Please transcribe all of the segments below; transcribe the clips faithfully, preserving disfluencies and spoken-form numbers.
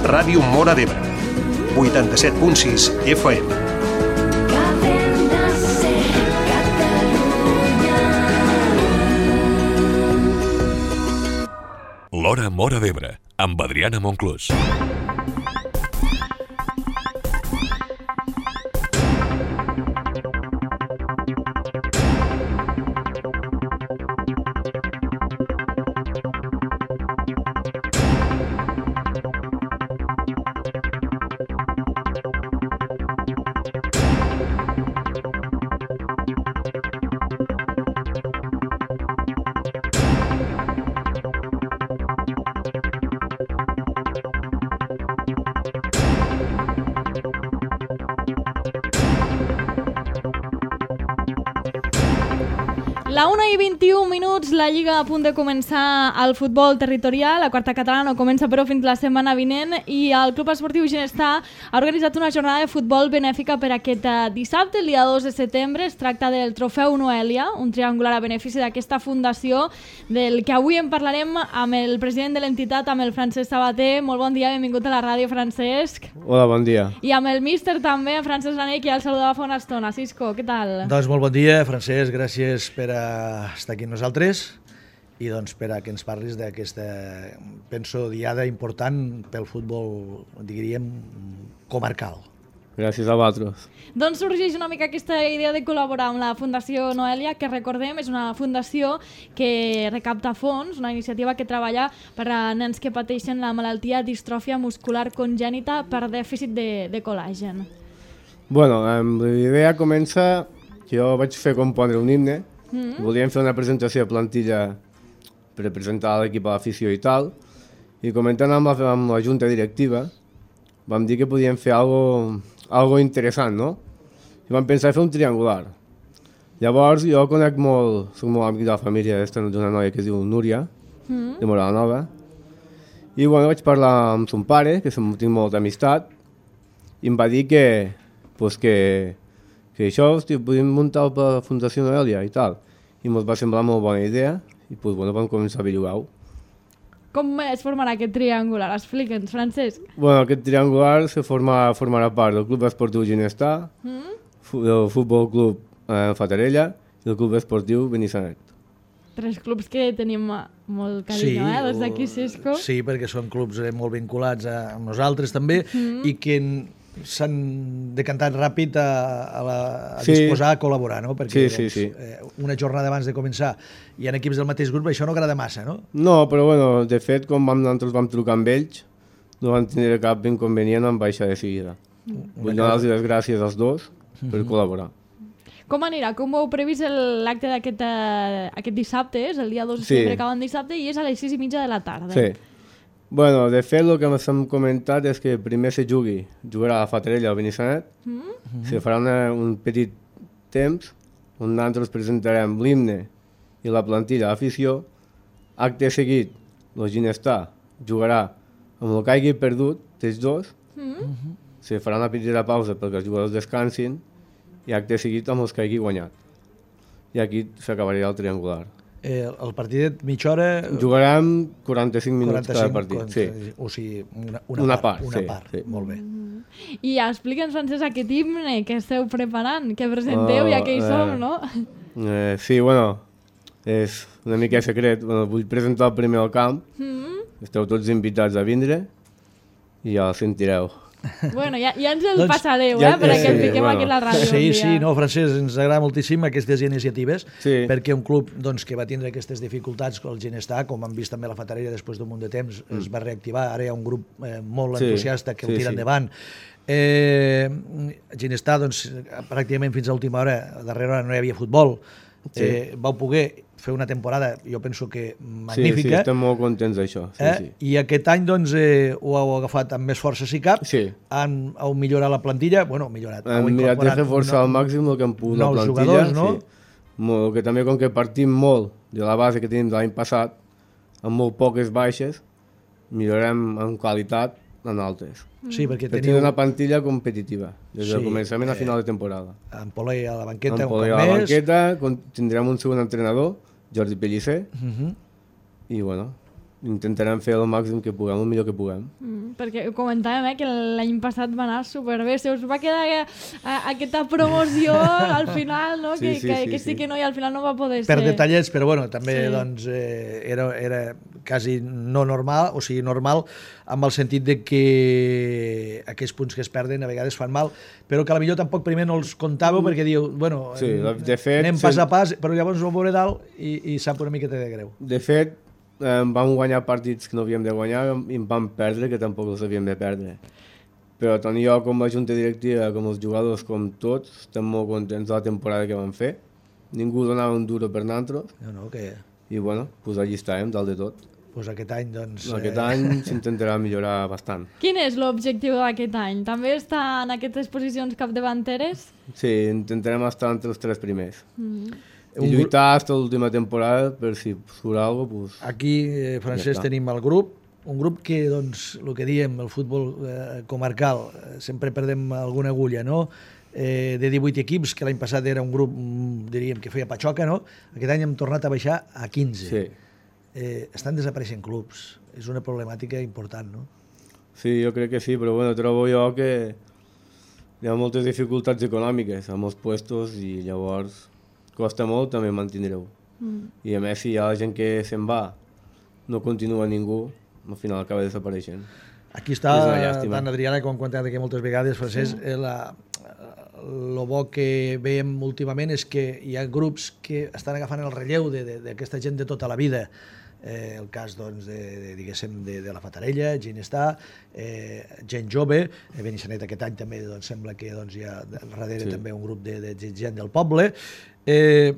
Ràdio Móra d'Ebre, vuitanta-set punt sis F M. L'Hora Móra d'Ebre, amb Adriana Monclús. La una i vint-i-un minuts, la Lliga a punt de començar el futbol territorial. La quarta catalana no comença però fins la setmana vinent i el Club Esportiu Ginestar ha organitzat una jornada de futbol benèfica per aquest dissabte, el dia dos de setembre. Es tracta del Trofeu Noelia, un triangular a benefici d'aquesta fundació del que avui en parlarem amb el president de l'entitat, amb el Francesc Sabater. Molt bon dia, benvingut a la ràdio, Francesc. Hola, bon dia. I amb el míster també, Francesc Lanell, que ja el saludava fa una estona. Cisco, què tal? Doncs molt bon dia, Francesc, gràcies per a estar aquí amb nosaltres i doncs per a que ens parlis d'aquesta, penso, diada important pel futbol, diríem, comarcal. Gràcies a vosaltres. Doncs sorgeix una mica aquesta idea de col·laborar amb la Fundació Noelia, que recordem és una fundació que recapta fons, una iniciativa que treballa per a nens que pateixen la malaltia distròfia muscular congènita per dèficit de, de col·làgen. Bueno, la idea comença que jo vaig fer compondre un himne. Mm-hmm. Volíem fer una presentació de plantilla per presentar l'equip a l'afició i tal, i comentant amb la, amb la junta directiva vam dir que podíem fer algo, algo interessant, no? I vam pensar fer un triangular. Llavors jo conec molt, soc molt amic de la família d'una noia que es diu Núria, mm-hmm. de Morada Nova, i bueno, vaig parlar amb son pare, que tinc molta amistat, i em va dir que, pues que que això, hosti, podíem muntar per la Fundació Noelia i tal. I ens va semblar molt bona idea i pues, bueno, vam començar a averiguar-ho. Com es formarà aquest triangular? Explica'ns, Francesc. Bueno, aquest triangular se forma, formarà part del Club Esportiu Ginestar, mm? del Futbol Club eh, Fatarella i del Club Esportiu Benissanet. Tres clubs que tenim molt carinyo, sí, eh? Des d'aquí, Cisco. Sí, perquè són clubs eh, molt vinculats a nosaltres també, mm. i que s'han decantat ràpid a, a, la, a sí. disposar a col·laborar, no? Perquè sí, sí, doncs, sí. Eh, una jornada abans de començar hi ha equips del mateix grup, això no agrada massa, no? No, però bueno, de fet, quan vam, nosaltres vam trucar amb ells, no van tenir cap inconvenient en baixar de seguida. Mm. Vull donar-los les gràcies als dos per mm-hmm. col·laborar. Com anirà? Com ho heu previst l'acte d'aquest uh, aquest dissabte? És el dia dos de setembre, sí. Acabant dissabte, i és a les sis i mitja de la tarda. Sí. Bueno, de fet, el que hem comentat és que primer se jugui, jugarà a Fatarella o Benissanet, mm-hmm. se farà una, un petit temps on nosaltres presentarem l'himne i la plantilla a l'afició. Acte seguit, el Ginestar jugarà amb el que hagi perdut, dels dos, mm-hmm. se farà una petita pausa perquè els jugadors descansin i acte seguit amb els que hagi guanyat. I aquí s'acabaria el triangular. Eh, el partit mitja hora... Jugarem quaranta-cinc minuts quaranta-cinc, cada partit, quaranta, sí. O sigui, una, una, una part, part, una sí, part. Sí. Molt bé. Mm. I explica'ns, Francesc, aquest himne que esteu preparant, que presenteu, uh, ja que hi eh, som, no? Eh, sí, bueno, és una mica secret. Bueno, vull presentar el primer al camp. Mm. Esteu tots invitats a vindre i ja el sentireu. Bueno, ja, ja ens el doncs, passareu, ja, eh, perquè sí, el fiquem bueno. Aquí a la ràdio. Sí, sí, no, Francesc, ens agrada moltíssim aquestes iniciatives, sí. perquè un club doncs, que va tindre aquestes dificultats, el Ginestar, com hem vist també la Fatarella després d'un munt de temps, mm. es va reactivar, ara hi ha un grup eh, molt sí. entusiasta que sí, el tira sí. endavant. Eh, Ginestar, doncs, pràcticament fins a l'última hora, darrere hora no hi havia futbol, sí. eh, vau poder fer una temporada, jo penso que magnífica. Sí, sí, estem molt contents d'això. Sí, eh? sí. I aquest any doncs, eh, ho heu agafat amb més força si cap, sí. han, heu millorat la plantilla, bueno, millorat. Hem mirat de fer força no, al màxim el que hem pogut la plantilla. Jugadors, no? Sí. Molt, que també com que partim molt de la base que tenim de l'any passat, amb molt poques baixes, millorem en qualitat en altres. Sí, perquè per teniu... tenir una plantilla competitiva, des sí, del començament a final eh, de temporada. En Polei a la banqueta, en un cop més. A la banqueta, tindrem un segon entrenador, Jordi Pellicer, uh-huh. i bueno, intentarem fer el màxim que puguem, el millor que puguem. Mm, perquè ho comentàvem, eh, que l'any passat va anar superbé. Se us va quedar eh, aquesta promoció al final, no? Sí, que, sí, que, sí, que sí, sí que no, i al final no va poder Per ser. detallets, però bueno, també Sí. doncs, eh, era, era quasi no normal, o sigui, normal, amb el sentit de que aquests punts que es perden a vegades fan mal, però que potser tampoc primer no els comptàveu perquè diu, bueno, Sí, de fet, anem sí. pas a pas, però llavors ho veuré dalt i, i sap una miqueta de greu. De fet, eh, vam guanyar partits que no havíem de guanyar i en vam perdre que tampoc els havíem de perdre. Però tant jo com la junta directiva, com els jugadors, com tots, estem molt contents de la temporada que vam fer. Ningú donava un duro per nosaltres No, no, que i bueno, pues allí estàvem, dalt de tot. pues aquest any, doncs... Aquest eh, any s'intentarà millorar bastant. Quin és l'objectiu d'aquest any? També està en aquestes posicions capdavanteres? Sí, intentarem estar entre els tres primers. Mm. I lluitar fins a l'última temporada per si surt alguna cosa, pues... Aquí, eh, Francesc, Ja està. tenim el grup, un grup que, doncs, el que diem, el futbol eh, comarcal, eh, sempre perdem alguna agulla, no? Eh, de divuit equips, que l'any passat era un grup, mm, diríem, que feia patxoca, no? Aquest any hem tornat a baixar a quinze. Sí. Eh, estan desapareixent clubs. És una problemàtica important, no? Sí, jo crec que sí, però bueno, trobo jo que hi ha moltes dificultats econòmiques amb els puestos i llavors costa molt també mantindre-ho. Mm. I a més, si hi ha gent que se'n va, no continua ningú, al final acaba desapareixent. Aquí està És una llàstima. tant Adriana com quan aquí moltes vegades, Francesc, sí. la, lo bo que veiem últimament és que hi ha grups que estan agafant el relleu d'aquesta gent de tota la vida. Eh, el cas, doncs, de, de, diguéssim, de, de la Fatarella, Ginestar, eh, gent jove, eh, Benissanet aquest any també doncs, sembla que doncs, hi ha darrere Sí. també un grup de, de gent del poble. Eh,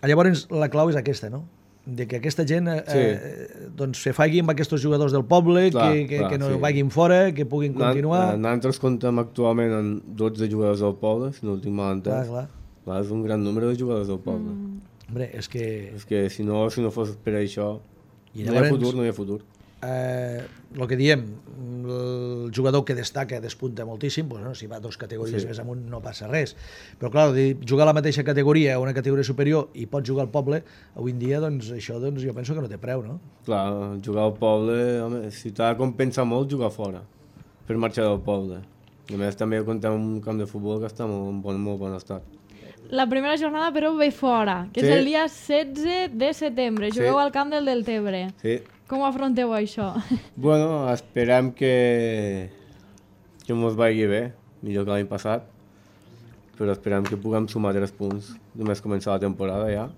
llavors, la clau és aquesta, no? De que aquesta gent eh, Sí. eh, doncs, se faci amb aquests jugadors del poble, Clar, que, que, clar, que no sí. vagin fora, que puguin continuar. Nan- Nosaltres comptem actualment amb dotze jugadors del poble, si no ho tinc mal entès. Clar, clar. Clar, és un gran número de jugadors del poble. Mm. Hombre, és que... És que si no, si no fos per això, I no hi ha llavors- futur, no hi ha futur. Eh, el que diem, el jugador que destaca, despunta moltíssim, doncs, no, si va dos categories Sí. més amunt no passa res. Però clar, de jugar a la mateixa categoria a una categoria superior i pots jugar al poble, avui en dia doncs, això doncs, jo penso que no té preu, no? Clar, jugar al poble, home, si t'ha de compensar molt, jugar fora, per marxar del poble. I a més també comptem amb un camp de futbol que està molt, en bon, molt bon estat. La primera jornada, però, ve fora, que Sí. és el dia setze de setembre. Sí. Jugueu al camp del Deltebre. Sí. Com afronteu això? Bueno, esperem que, que mos vagi bé, millor que l'any passat, però esperem que puguem sumar tres punts. Només començar la temporada ja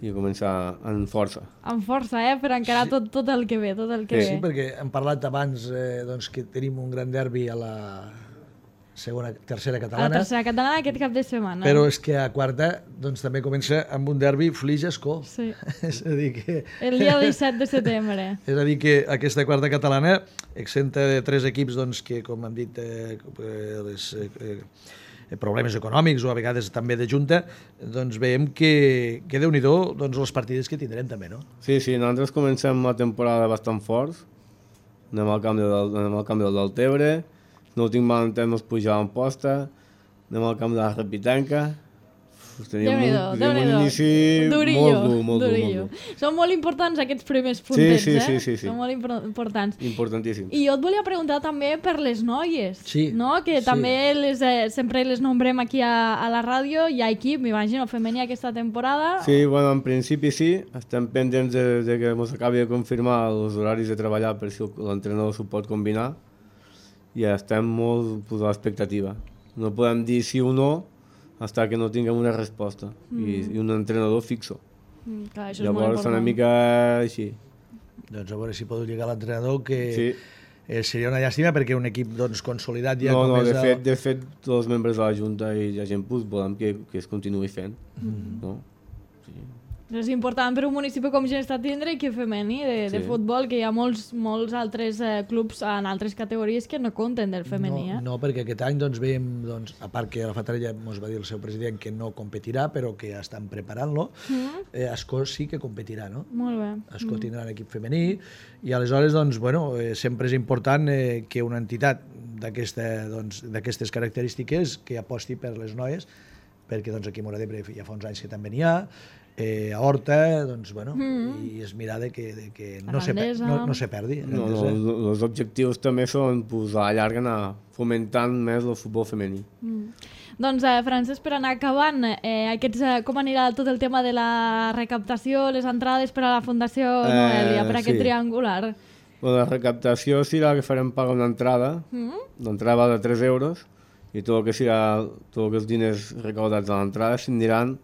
i començar en força. Amb força, eh? Per encarar tot, tot el que ve, tot el que Sí, ve. perquè hem parlat abans eh, doncs, que tenim un gran derbi a la segona, tercera A la catalana, tercera catalana aquest cap de setmana. però és que a quarta doncs, també comença amb un derbi Flix-Escó. Sí. És a dir que... El dia disset de setembre. És a dir, que aquesta quarta catalana, exenta de tres equips doncs, que, com hem dit, eh, eh, les, eh, eh, problemes econòmics o a vegades també de junta, doncs veiem que, que Déu-n'hi-do doncs, les partides que tindrem també, no? Sí, sí, nosaltres comencem la temporada bastant forts. Anem al camp del, anem al camp del Deltebre, no ho tinc mal entès, ens pujàvem posta, anem al camp de la Repitenca. Uf, teníem un, Déu-n'hi-do, teníem un Déu-n'hi-do. inici Durillo, molt dur, molt dur, durillo. molt dur. Són molt importants aquests primers puntets, sí, eh? sí, sí, sí. Són molt impor- importants. Importantíssim. I jo et volia preguntar també per les noies, Sí, no? Que sí. també les, eh, sempre les nombrem aquí a, a la ràdio. Hi ha equip, m'imagino, femení aquesta temporada. Sí, bueno, en principi sí. Estem pendents de, de que ens acabi de confirmar els horaris de treballar per si l'entrenador s'ho pot combinar. I estem molt pues, a l'expectativa. No podem dir sí o no fins que no tinguem una resposta mm. i, i un entrenador fixo. Mm, clar, això és molt Llavors, important. una mica així. Doncs a veure si podeu llegar a l'entrenador, que Sí. eh, seria una llàstima perquè un equip doncs, consolidat ja No, com no, és de el... fet, de fet, tots els membres de la Junta i la gent pues, volem que, que es continuï fent. Mm. No? Sí. És important per un municipi com Ginestar tindre equip femení de, de Sí. futbol, que hi ha molts, molts altres eh, clubs en altres categories que no compten del femení. No, Eh? no, perquè aquest any doncs, veiem, doncs, a part que la Fatarella ens va dir el seu president que no competirà, però que estan preparant-lo, mm. eh, Escó sí que competirà, no? Molt bé. Escó tindrà un equip femení i aleshores doncs, bueno, eh, sempre és important eh, que una entitat d'aquesta, doncs, d'aquestes característiques que aposti per les noies, perquè doncs, aquí a Móra d'Ebre ja fa uns anys que també n'hi ha, eh, a Horta, doncs, bueno, mm. i és mirar de que, de que no, se, no, no se perdi. No, no, els objectius també són, pues, a la llarga, anar fomentant més el futbol femení. Mm. Doncs, eh, Francesc, per anar acabant, eh, aquests, eh, com anirà tot el tema de la recaptació, les entrades per a la Fundació Noelia, eh, per aquest sí. triangular? Bueno, la recaptació serà que farem pagar una entrada, mm. l'entrada de tres euros, i tot el que serà, tot el que els diners recaudats a l'entrada s'aniran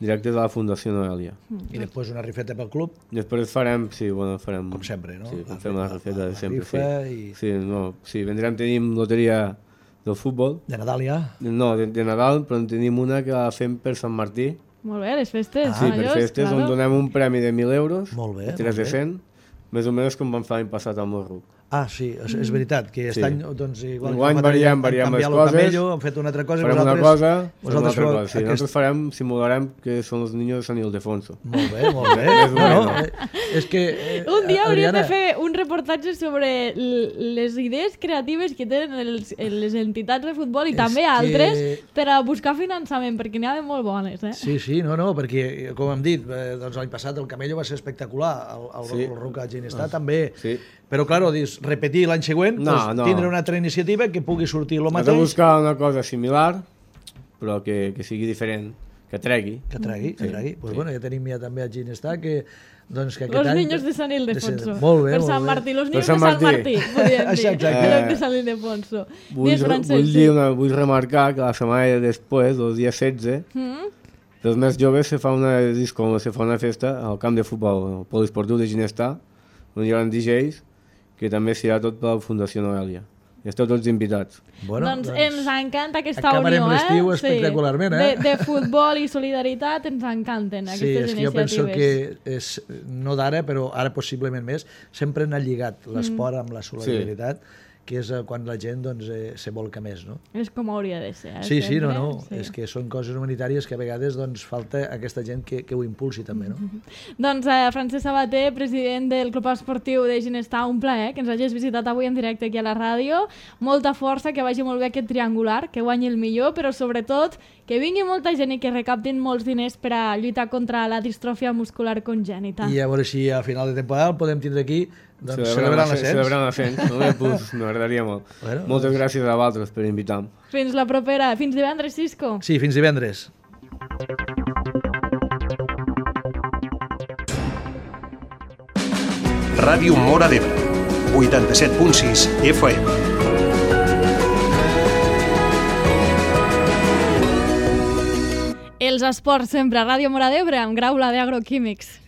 directes a la Fundació Noelia. Mm. I després una rifeta pel club? Després farem, sí, bueno, farem... Com sempre, no? Sí, fem una rifeta de sempre, rifa sí. I... Sí, no, sí, vendrem, tenim loteria del futbol. De Nadal ja? No, de, de Nadal, però en tenim una que la fem per Sant Martí. Molt bé, les festes. Ah, sí, per majors, festes, claro. on donem un premi de mil euros, molt bé, tres molt de cent, més o menys com vam fer l'any passat amb el RUC. Ah, sí, és, és veritat, que aquest sí. any, doncs, igual Enguany variem, variem les coses, camello, hem fet una altra cosa, farem una cosa, vosaltres una altra cosa. Sí, aquest... nosaltres farem, simularem que són els niños de Sant Ildefonso. Molt bé, molt bé. no, no, eh, és que, eh, un dia hauríem Adriana... de fer un reportatge sobre les idees creatives que tenen els, les entitats de futbol i és també que... altres per a buscar finançament, perquè n'hi ha de molt bones. Eh? Sí, sí, no, no, perquè, com hem dit, eh, doncs l'any passat el Camello va ser espectacular, el, el, sí. el Roca Ginestar ah. també. Sí. Però, clar, dius, repetir l'any següent, no, doncs, no. tindre una altra iniciativa que pugui sortir el mateix. Has de buscar una cosa similar, però que, que sigui diferent, que tregui. Que tregui, sí. que tregui. Pues sí. Bueno, ja tenim ja també a Ginestar que... Doncs que los any... niños de Sant Ildefonso. Molt bé, per molt Sant bé. Martí, los niños de Sant Martí, podríem dir. Exacte. Los de Sant Ildefonso. Vull, vull, dir una, vull remarcar que la setmana després, el dia setze, mm? dels més joves se fa una disco, se fa una festa al camp de futbol, al poliesportiu de Ginestar, on hi ha D Js, que també serà tot per la Fundació Noelia. Esteu tots invitats. Bueno, doncs, doncs ens encanta aquesta unió, eh? Acabarem l'estiu espectacularment, sí. eh? De, de futbol i solidaritat ens encanten aquestes iniciatives. Sí, és que jo penso que, és, no d'ara, però ara possiblement més, sempre han lligat l'esport amb la solidaritat, sí. que és quan la gent doncs, eh, se volca més, no? És com hauria de ser. Eh? Sí, sí, sempre. no, no. Sí. És que són coses humanitàries que a vegades doncs, falta aquesta gent que, que ho impulsi també, no? Mm-hmm. Doncs eh, Francesc Sabater, president del Club Esportiu de Ginestar, un plaer que ens hagis visitat avui en directe aquí a la ràdio. Molta força, que vagi molt bé aquest triangular, que guanyi el millor, però sobretot que vingui molta gent i que recaptin molts diners per a lluitar contra la distròfia muscular congènita. I a veure si a final de temporada el podem tindre aquí doncs, celebrant l'ascens. Celebrant l'ascens, no? Pues, m'agradaria molt. Bueno, Moltes doncs... gràcies a vosaltres per invitar-me. Fins la propera. Fins divendres, Cisco. Sí, fins divendres. Ràdio Móra d'Ebre, vuitanta-set punt sis F M. Els esports sempre a Ràdio Móra d'Ebre amb Grau Blader Agroquímics.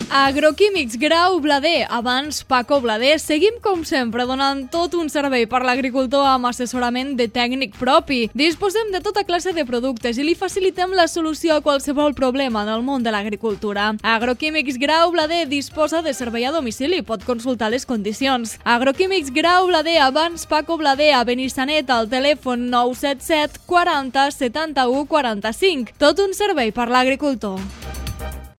Agroquímics Grau Blader, abans Paco Blader, seguim com sempre donant tot un servei per l'agricultor amb assessorament de tècnic propi. Disposem de tota classe de productes i li facilitem la solució a qualsevol problema en el món de l'agricultura. Agroquímics Grau Blader disposa de servei a domicili, pot consultar les condicions. Agroquímics Grau Blader, abans Paco Blader, a Benissanet, al telèfon nou set set quaranta setanta-u quaranta-cinc. Tot un servei per l'agricultor.